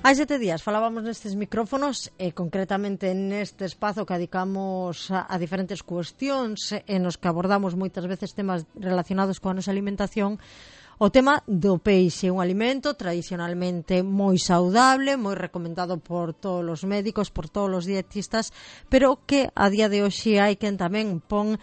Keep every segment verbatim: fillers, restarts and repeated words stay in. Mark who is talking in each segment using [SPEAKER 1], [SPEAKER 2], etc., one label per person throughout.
[SPEAKER 1] Hai sete días falábamos nestes micrófonos e concretamente neste espazo que dedicamos a, a diferentes cuestións e nos que abordamos moitas veces temas relacionados coa nosa alimentación. O tema do peixe, un alimento tradicionalmente moi saudable, moi recomendado por todos os médicos, por todos os dietistas, pero que a día de hoxe hai quen tamén pon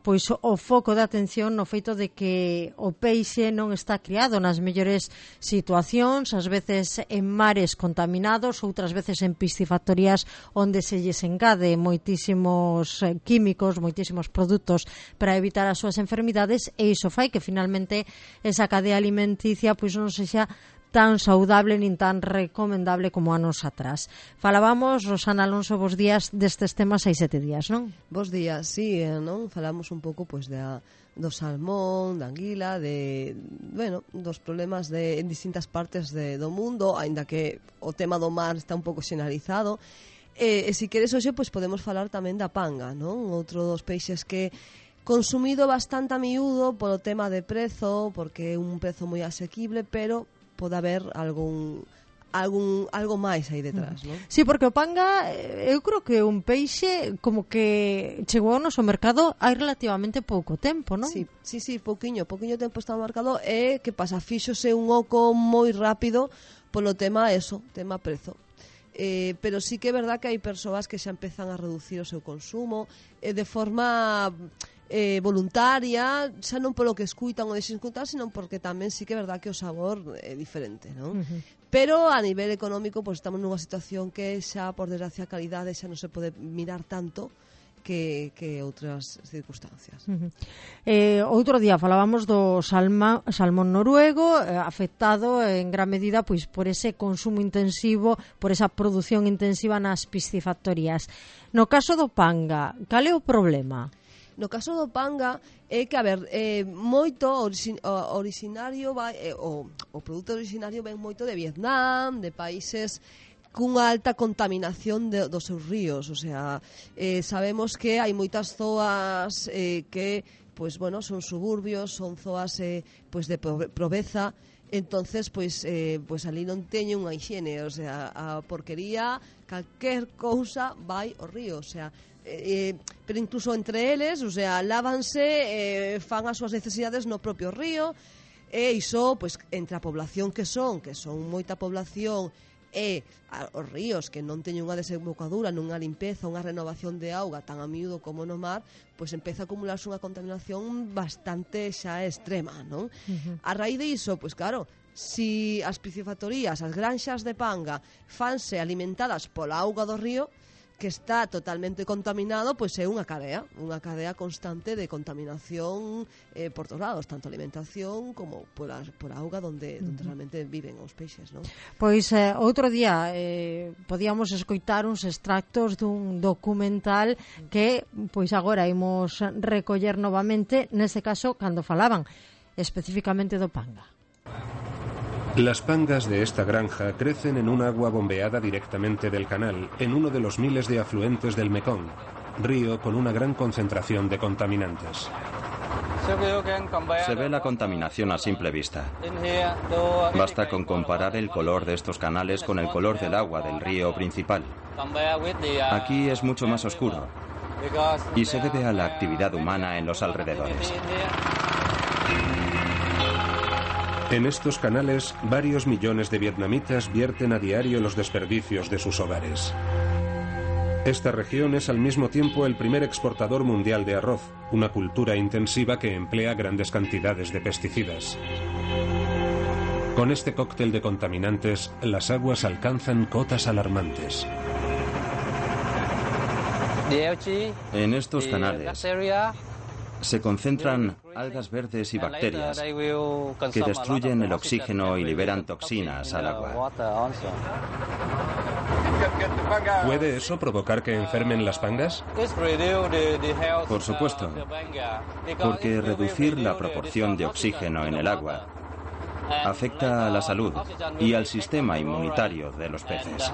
[SPEAKER 1] pois o foco de atención no feito de que o peixe non está criado nas mellores situacións, ás veces en mares contaminados, outras veces en piscifactorías onde se lles engade moitísimos químicos, moitísimos produtos para evitar as súas enfermidades, e iso fai que finalmente esa cadea alimenticia pois non sexa tan saudable nin tan recomendable como anos atrás. Falábamos, Rosana Alonso, vos días destes temas hai sete días, non?
[SPEAKER 2] Vos días, sí, non? Falamos un pouco pois de a, do salmón, da anguila, de, bueno, dos problemas de, en distintas partes de, do mundo, aínda que o tema do mar está un pouco xenalizado. E, e se queres hoxe, pois podemos falar tamén da panga, non? Outro dos peixes que consumido bastante a miúdo polo tema de prezo, porque é un prezo moi asequible, pero pode haber algún algún algo máis aí detrás, non?
[SPEAKER 1] Sí, porque o panga, eu creo que un peixe como que chegou ao noso mercado hai relativamente pouco tempo, non?
[SPEAKER 2] Sí, sí, sí, pouquiño, pouquiño tempo está no mercado, e que pasa, fíxose un oco moi rápido polo tema eso, tema prezo. Eh, pero sí que é verdad que hai persoas que xa empezan a reducir o seu consumo eh, de forma eh, voluntaria, xa non polo que escuitan ou deixen escutar, sino porque tamén sí que é verdad que o sabor é diferente, non? Uh-huh. Pero a nivel económico, pues estamos nunha situación que xa, por desgracia, a calidade xa non se pode mirar tanto que, que outras circunstancias.
[SPEAKER 1] Uh-huh. Eh, outro día falábamos do salma, salmón noruego, eh, afectado en gran medida pois por ese consumo intensivo, por esa produción intensiva nas piscifactorías. No caso do panga, cal é o problema?
[SPEAKER 2] No caso do panga é que, a ver, eh, moito orixin, o, originario vai, eh, o, o produto originario ven moito de Vietnam, de países cunha alta contaminación de, dos seus ríos, o sea, eh, sabemos que hai moitas zoas eh, que, pues bueno, son suburbios, son zoas eh, pues de pobreza, entonces, pues, eh, pues ali non teñen unha higiene, o sea, a porquería, calquer cousa vai ao río, o sea, eh, pero incluso entre eles, o sea, lávanse, eh, fan as súas necesidades no propio río, e iso, pues, entre a población que son, que son moita población, e os ríos que non teñen unha desembocadura, nunha limpeza, unha renovación de auga tan a miúdo como no mar, pois empeza a acumularse unha contaminación bastante xa extrema, non? Uh-huh. A raíz de iso, pois claro, si as piscifactorías, as granxas de panga fanse alimentadas pola auga do río, que está totalmente contaminado, pois é unha cadea, unha cadea constante de contaminación eh, por todos lados, tanto alimentación como por a, por a auga donde, donde uh-huh. realmente viven os peixes, non?
[SPEAKER 1] Pois eh, outro día eh, podíamos escoitar uns extractos dun documental que pois agora imos recoller novamente, neste caso cando falaban especificamente do panga.
[SPEAKER 3] Las pangas de esta granja crecen en un agua bombeada directamente del canal, en uno de los miles de afluentes del Mekong, río con una gran concentración de contaminantes.
[SPEAKER 4] Se ve la contaminación a simple vista. Basta con comparar el color de estos canales con el color del agua del río principal. Aquí es mucho más oscuro y se debe a la actividad humana en los alrededores.
[SPEAKER 3] En estos canales, varios millones de vietnamitas vierten a diario los desperdicios de sus hogares. Esta región es al mismo tiempo el primer exportador mundial de arroz, una cultura intensiva que emplea grandes cantidades de pesticidas. Con este cóctel de contaminantes, las aguas alcanzan cotas alarmantes.
[SPEAKER 4] En estos canales se concentran algas verdes y bacterias que destruyen el oxígeno y liberan toxinas al agua.
[SPEAKER 3] ¿Puede eso provocar que enfermen las pangas?
[SPEAKER 4] Por supuesto, porque reducir la proporción de oxígeno en el agua afecta a la salud y al sistema inmunitario de los peces.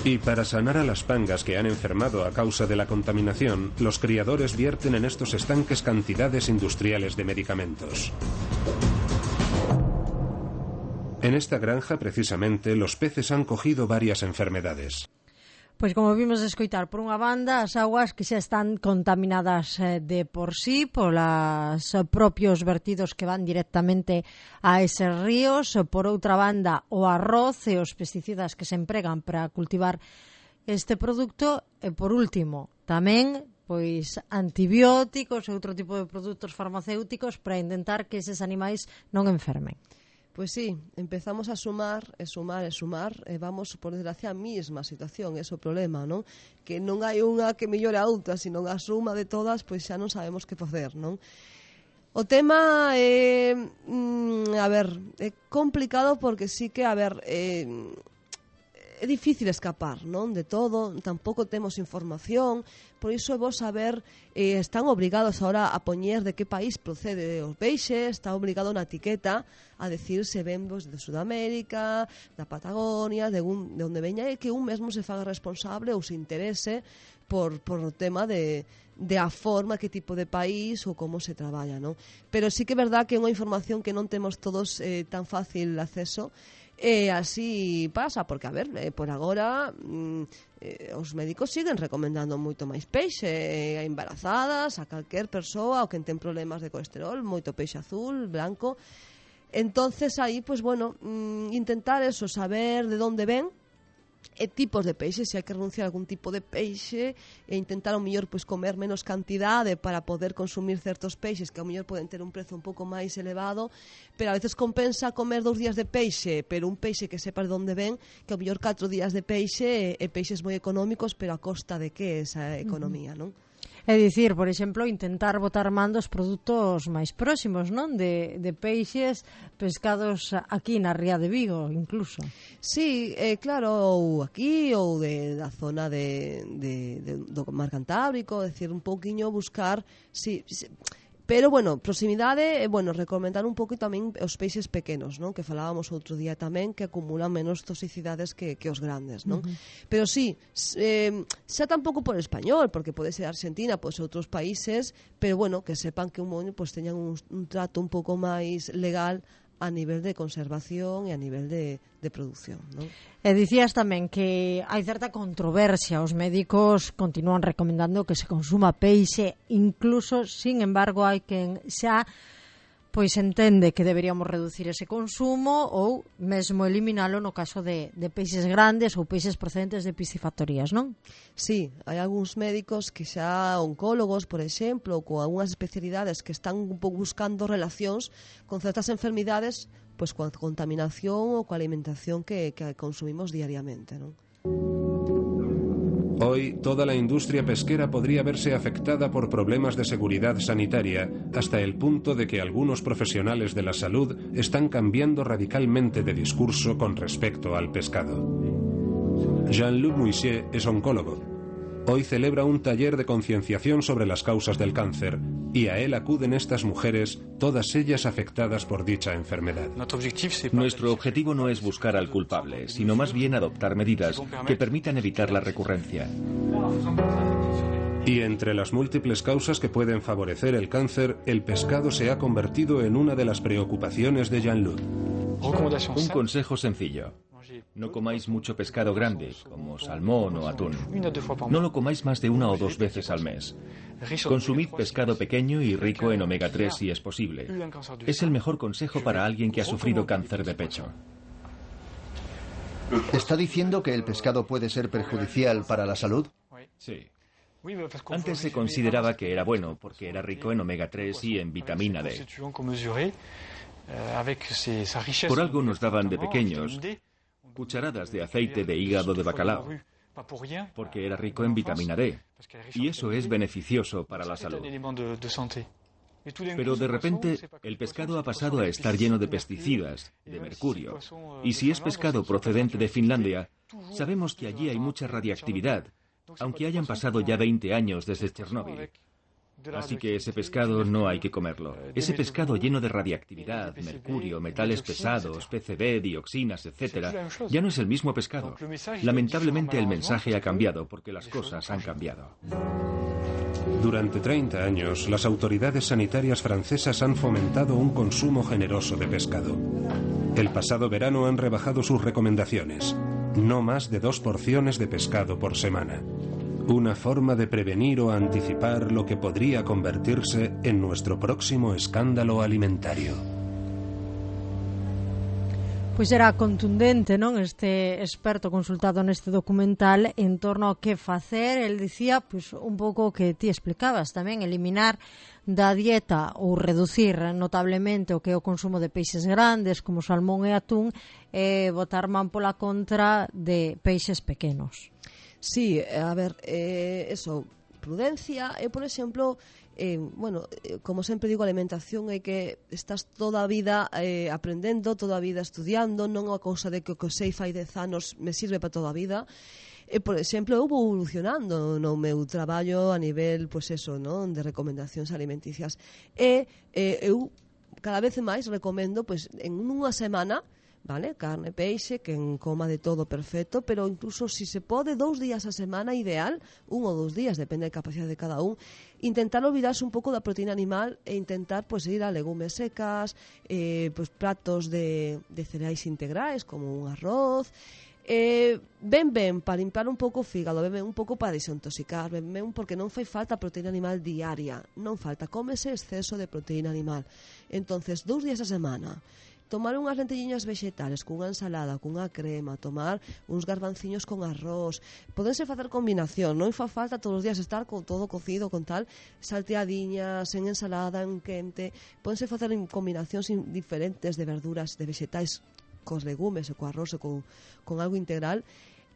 [SPEAKER 3] Y para sanar a las pangas que han enfermado a causa de la contaminación, los criadores vierten en estos estanques cantidades industriales de medicamentos. En esta granja, precisamente, los peces han cogido varias enfermedades.
[SPEAKER 1] Pois como vimos escoitar, por unha banda, as aguas que xa están contaminadas eh, de por sí polos eh, propios vertidos que van directamente a eses ríos, por outra banda, o arroz e os pesticidas que se empregan para cultivar este produto, e por último, tamén pois antibióticos e outro tipo de produtos farmacéuticos para intentar que eses animais non enfermen.
[SPEAKER 2] Pois sí, empezamos a sumar, e sumar, e sumar, e vamos por desgracia a mesma situación, ese é o problema, non? Que non hai unha que mellore a outra, sino a suma de todas, pois xa non sabemos que facer, non? O tema é, mm, a ver, é complicado porque sí que, a ver, é, é difícil escapar, non? De todo, tampouco temos información, por iso é vos saber, eh, están obrigados ahora a poñer de que país procede o peixe, está obligado na etiqueta a decir se ven vos de Sudamérica, da Patagonia, de, un, de onde veña, e que un mesmo se faga responsable ou se interese por, por o tema de, de a forma, que tipo de país ou como se traballa, non? Pero sí que é verdad que é unha información que non temos todos eh, tan fácil acceso. E así pasa, porque, a ver, eh, por agora mm, eh, os médicos siguen recomendando moito máis peixe eh, a embarazadas, a calquer persoa, ou quen ten problemas de colesterol, moito peixe azul, blanco. Entonces aí, pues bueno, mm, intentar eso, saber de onde ven e tipos de peixe, se hai que renunciar a algún tipo de peixe e intentar ao mellor pois comer menos cantidade para poder consumir certos peixes que ao mellor poden ter un prezo un pouco máis elevado, pero a veces compensa comer dous días de peixe, pero un peixe que sepas de onde ven, que ao mellor catro días de peixe e peixes moi económicos, pero a costa de que esa economía, non?
[SPEAKER 1] É dicir, por exemplo, intentar botar man dos produtos máis próximos, non? De, de peixes pescados aquí na Ría de Vigo, incluso.
[SPEAKER 2] Sí, eh, claro, ou aquí, ou de, da zona de, de, de, do mar Cantábrico, é dicir, un pouquiño buscar... Si, si, pero, bueno, proximidade, bueno, recomendar un pouco tamén os peixes pequenos, non? Que falábamos outro día tamén, que acumulan menos toxicidades que, que os grandes, non? Uh-huh. Pero sí, eh, xa tampouco por español, porque pode ser Argentina, pode ser outros países, pero, bueno, que sepan que un moño pues, teñan un, un trato un pouco máis legal a nivel de conservación e a nivel de, de producción, non?
[SPEAKER 1] E dicías tamén que hai certa controversia, os médicos continúan recomendando que se consuma peixe, incluso, sin embargo, hai quen xa pois entende que deberíamos reducir ese consumo ou mesmo eliminalo no caso de, de peixes grandes ou peixes procedentes de piscifactorías, non?
[SPEAKER 2] Sí, hai algúns médicos que xa oncólogos, por exemplo, ou con algunhas especialidades que están un pouco buscando relacións con certas enfermidades, pois coa contaminación ou coa alimentación que, que consumimos diariamente, non?
[SPEAKER 3] Hoy, toda la industria pesquera podría verse afectada por problemas de seguridad sanitaria, hasta el punto de que algunos profesionales de la salud están cambiando radicalmente de discurso con respecto al pescado. Jean-Luc Mouissier es oncólogo. Hoy celebra un taller de concienciación sobre las causas del cáncer, y a él acuden estas mujeres, todas ellas afectadas por dicha enfermedad.
[SPEAKER 5] Nuestro objetivo no es buscar al culpable, sino más bien adoptar medidas que permitan evitar la recurrencia.
[SPEAKER 3] Y entre las múltiples causas que pueden favorecer el cáncer, el pescado se ha convertido en una de las preocupaciones de Jean-Luc.
[SPEAKER 5] Un consejo sencillo. No comáis mucho pescado grande, como salmón o atún. No lo comáis más de una o dos veces al mes. Consumid pescado pequeño y rico en omega tres si es posible. Es el mejor consejo para alguien que ha sufrido cáncer de pecho.
[SPEAKER 6] ¿Está diciendo que el pescado puede ser perjudicial para la salud?
[SPEAKER 5] Sí. Antes se consideraba que era bueno porque era rico en omega tres y en vitamina D. Por algo nos daban de pequeños cucharadas de aceite de hígado de bacalao, porque era rico en vitamina D, y eso es beneficioso para la salud. Pero de repente el pescado ha pasado a estar lleno de pesticidas, de mercurio, y si es pescado procedente de Finlandia, sabemos que allí hay mucha radiactividad, aunque hayan pasado ya veinte años desde Chernóbil. Así que ese pescado no hay que comerlo. Ese pescado lleno de radiactividad, mercurio, metales pesados, P C B, dioxinas, etcétera, ya no es el mismo pescado. Lamentablemente el mensaje ha cambiado porque las cosas han cambiado.
[SPEAKER 3] Durante treinta años, las autoridades sanitarias francesas han fomentado un consumo generoso de pescado. El pasado verano han rebajado sus recomendaciones. No más de dos porciones de pescado por semana. Una forma de prevenir o anticipar lo que podría convertirse en nuestro próximo escándalo alimentario.
[SPEAKER 1] Pois era contundente, non, este experto consultado neste documental en torno a que facer. El dicía, pois, un pouco o que ti explicabas tamén, eliminar da dieta ou reducir notablemente o que é o consumo de peixes grandes como salmón e atún, e botar man pola contra de peixes pequenos.
[SPEAKER 2] Sí, a ver, eh, eso, prudencia. Eu, por exemplo, eh, bueno, eh, como sempre digo, a alimentación é que estás toda a vida eh, aprendendo, toda a vida estudiando, non é unha cousa de que o que sei fai dez anos me sirve para toda a vida. E, por exemplo, eu vou evolucionando no meu traballo a nivel, pois eso, non, de recomendacións alimenticias. E eh, eu cada vez máis recomendo, pois, en unha semana, vale, carne, peixe, que en coma de todo perfecto, pero incluso si se pode dous días a semana, ideal, un ou dous días, depende da capacidade de cada un, intentar olvidarse un pouco da proteína animal e intentar pues, ir a legumes secas, eh, pues, pratos de, de cereais integrais como un arroz, eh, ben ben para limpiar un pouco o fígado, ben ben un pouco para desintoxicar, ben ben porque non fai falta proteína animal diaria, non falta, cómese exceso de proteína animal. Entonces, dous días a semana, tomar unhas lentelliñas vegetales cunha ensalada, cunha crema, tomar uns garbanciños con arroz. Podense facer combinación, non fa falta todos os días estar con todo cocido, con tal, salteadiñas, en ensalada, en quente. Podense facer combinacións diferentes de verduras, de vegetais, cos legumes, e co arroz, e con, con algo integral.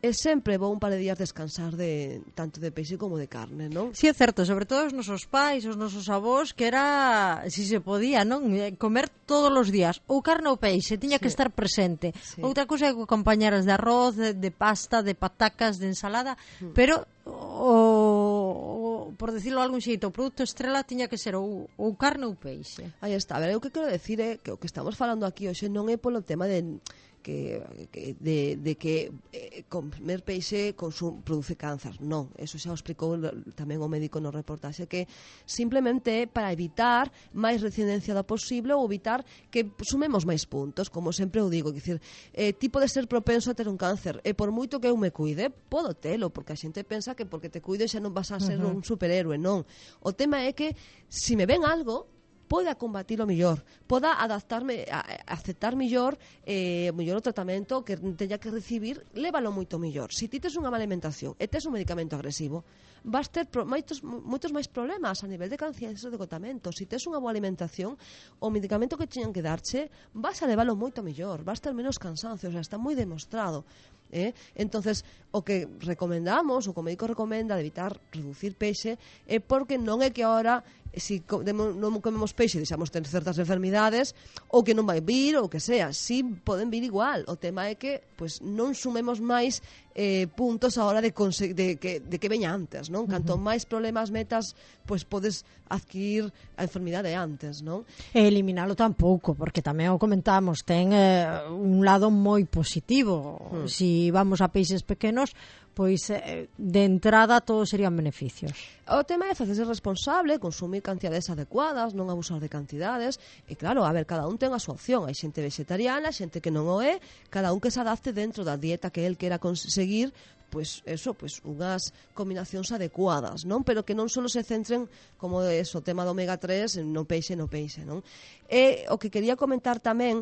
[SPEAKER 2] É sempre bo un par de días descansar de tanto de peixe como de carne, non?
[SPEAKER 1] Si, sí, é certo, sobre todo os nosos pais, os nosos avós, que era, si se podía, non? Comer todos os días, ou carne ou peixe, tiña sí. que estar presente. Sí. Outra cousa é que acompañaras de arroz, de, de pasta, de patacas, de ensalada, mm. pero o, o, por decirlo de algún xeito, o produto estrela tiña que ser ou, ou carne ou peixe.
[SPEAKER 2] Aí está, a ver, o que quero decir é que o que estamos falando aquí hoxe non é polo tema de que, que de, de que eh, comer peixe consum, produce cáncer. Non, eso xa o explicou tamén o médico no reportaxe, que simplemente para evitar máis reincidencia da posible ou evitar que sumemos máis puntos, como sempre o digo, que dicir, eh, tipo de ser propenso a ter un cáncer, e por moito que eu me cuide, podo telo, porque a xente pensa que porque te cuido xa non vas a ser uh-huh. un superhéroe, non. O tema é que se me ven algo, poda combatilo mellor, poda adaptarme, a, a aceptar mellor eh, mellor o tratamento que teña que recibir, lévalo moito mellor. Se ti tes unha mala alimentación e tes un medicamento agresivo, vas ter pro, moitos, moitos máis problemas a nivel de conciencia de tratamento. Se tes unha boa alimentación, o medicamento que teñan que darche, vas a leválo moito mellor, vas ter menos cansancio, o sea, está moi demostrado. Eh? Entonces, o que recomendamos, o que o médico recomenda de evitar reducir peixe, é porque non é que ahora si non comemos peixe deixamos ter certas enfermidades ou que non vai vir ou que sea, si poden vir igual. O tema é que pues, non sumemos máis eh, puntos a hora de, de, que, de que veña antes, non? Canto uh-huh. máis problemas metas, pues podes adquirir a enfermidade antes, non?
[SPEAKER 1] E eliminalo tampouco, porque tamén o comentamos, ten eh, un lado moi positivo. Uh-huh. Si vamos a peixes pequenos, pois eh, de entrada todos serían beneficios.
[SPEAKER 2] O tema é facerse responsable, consumir cantidades adecuadas, non abusar de cantidades, e claro, a ver, cada un ten a súa opción. Hai xente vegetariana, xente que non o é, cada un que se adapte dentro da dieta que el quera conseguir, pois eso, pois unhas combinacións adecuadas, non? Pero que non só se centren como eso, o tema do omega tres, no peixe, no peixe, non? E o que quería comentar tamén,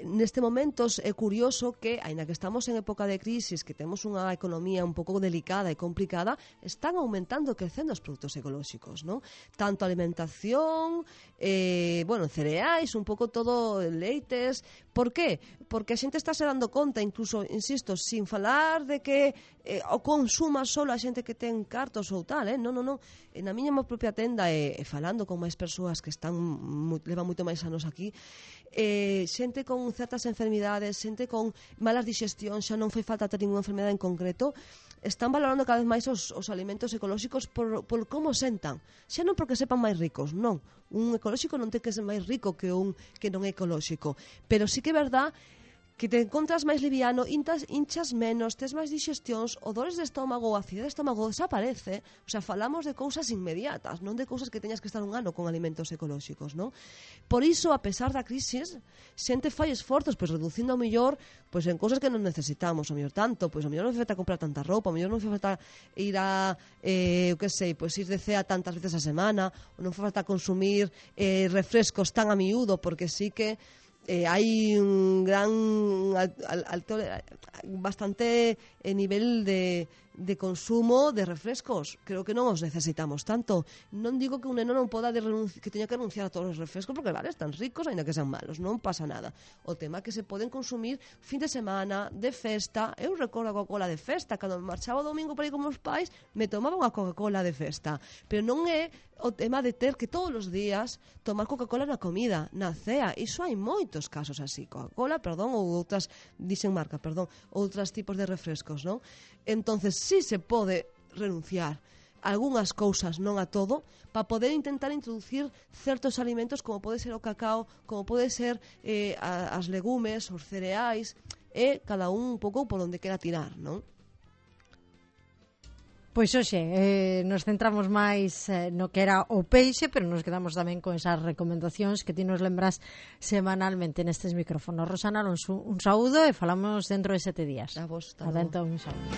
[SPEAKER 2] neste momento é curioso que, aínda que estamos en época de crisis, que temos unha economía un pouco delicada e complicada, están aumentando e crecendo os produtos ecolóxicos, non? Tanto alimentación, eh, bueno, cereais, un pouco todo leites. Por qué? Porque a xente está se dando conta, incluso, insisto, sin falar de que eh, o consuma solo a xente que ten cartos ou tal, eh? Non, non, non. Na miña propia tenda, e, e falando con máis persoas que están mu, levan moito máis anos aquí, eh, xente con certas enfermidades, xente con malas digestións, xa non fai falta ter ninguna enfermedade en concreto, están valorando cada vez máis os, os alimentos ecolóxicos por, por como sentan. Xa non porque sepan máis ricos, non. Un ecolóxico non ten que ser máis rico que un que non é ecolóxico. Pero sí que é verdad que te encontras máis liviano, intas, hinchas menos, tes máis digestións, o dores de estómago, a acidez de estómago desaparece. O sea, falamos de cousas inmediatas, non de cousas que teñas que estar un ano con alimentos ecolóxicos, non? Por iso, a pesar da crisis, xente fai esforzos, pois reducindo ao mellor, pois en cousas que non necesitamos, ao mellor tanto, pois ao mellor non fai falta comprar tanta roupa, ao mellor non fai falta ir a, eh, eu que sei, pois ir de cea tantas veces a semana, ou non fai falta consumir eh, refrescos tan a miúdo, porque sí que Eh, hai un gran alto, bastante eh, nivel de, de consumo de refrescos. Creo que non os necesitamos tanto. Non digo que un neno non poda de renunci- que teña que renunciar a todos os refrescos, porque vale, están ricos, ainda que sean malos, non pasa nada. O tema é que se poden consumir fin de semana, de festa. Eu recordo a Coca-Cola de festa, cando me marchaba o domingo para ir con meus pais, me tomaba unha Coca-Cola de festa, pero non é o tema de ter que todos os días tomar Coca-Cola na comida, na cea. Iso hai moitos casos así. Coca-Cola, perdón, ou outras, dixen marca, perdón, outros tipos de refrescos, non? Entonces, sí se pode renunciar a algunhas cousas, non a todo, para poder intentar introducir certos alimentos como pode ser o cacao, como pode ser eh, as legumes, os cereais, e cada un un pouco por onde quera tirar, non?
[SPEAKER 1] Pois hoxe, eh, nos centramos máis eh, no que era o peixe, pero nos quedamos tamén con esas recomendacións que ti nos lembras semanalmente nestes micrófonos. Rosana Alonso, un saúdo e falamos dentro de sete días.
[SPEAKER 2] A vos,
[SPEAKER 1] Adentro, un saúdo.